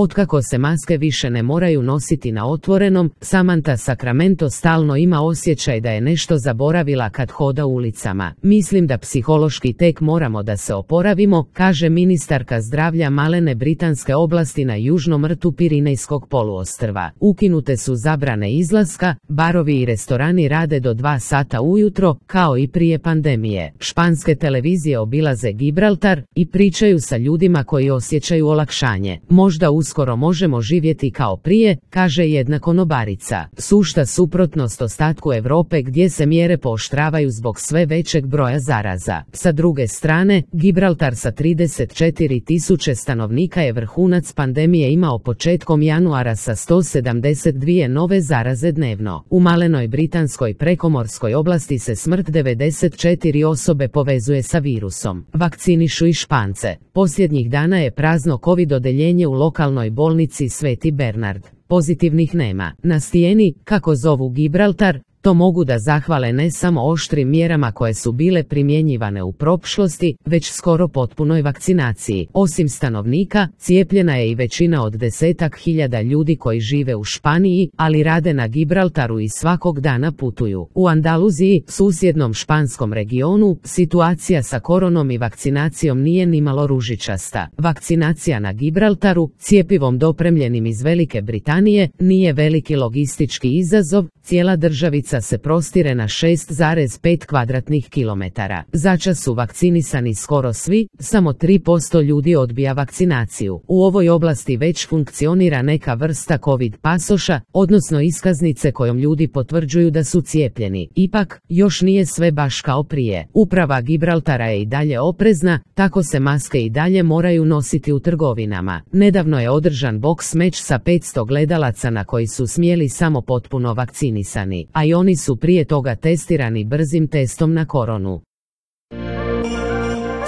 Otkako se maske više ne moraju nositi na otvorenom, Samantha Sacramento stalno ima osjećaj da je nešto zaboravila kad hoda ulicama. Mislim da psihološki tek moramo da se oporavimo, kaže ministarka zdravlja malene britanske oblasti na južnom rtu Pirinejskog poluostrva. Ukinute su zabrane izlaska, barovi i restorani rade do 2 sata ujutro, kao i prije pandemije. Španske televizije obilaze Gibraltar i pričaju sa ljudima koji osjećaju olakšanje. Možda uskoro možemo živjeti kao prije, kaže jedna konobarica. Sušta suprotnost ostatku Europe gdje se mjere pooštravaju zbog sve većeg broja zaraza. Sa druge strane, Gibraltar sa 34.000 stanovnika je vrhunac pandemije imao početkom januara sa 172 nove zaraze dnevno. U malenoj britanskoj prekomorskoj oblasti se smrt 94 osobe povezuje sa virusom. Vakcinišu i Špance. Posljednjih dana je prazno COVID odeljenje u lokalnoj bolnici Sveti Bernard. Pozitivnih nema. Na stijeni, kako zovu Gibraltar, to mogu da zahvale ne samo oštrim mjerama koje su bile primjenjivane u prošlosti, već skoro potpunoj vakcinaciji. Osim stanovnika, cijepljena je i većina od 10.000 ljudi koji žive u Španiji, ali rade na Gibraltaru i svakog dana putuju. U Andaluziji, susjednom španskom regionu, situacija sa koronom i vakcinacijom nije nimalo ružičasta. Vakcinacija na Gibraltaru, cjepivom dopremljenim iz Velike Britanije, nije veliki logistički izazov, cijela državica se prostire na 6,5 kvadratnih kilometara. Začas su vakcinisani skoro svi, samo 3% ljudi odbija vakcinaciju. U ovoj oblasti već funkcionira neka vrsta COVID pasoša, odnosno iskaznice kojom ljudi potvrđuju da su cijepljeni. Ipak, još nije sve baš kao prije. Uprava Gibraltara je i dalje oprezna, tako se maske i dalje moraju nositi u trgovinama. Nedavno je održan boks meč sa 500 gledalaca na koji su smjeli samo potpuno vakcinisani, a i oni su prije toga testirani brzim testom na koronu.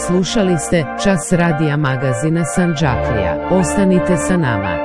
Slušali ste Čas radija magazina Sandžaklija. Ostanite sa nama.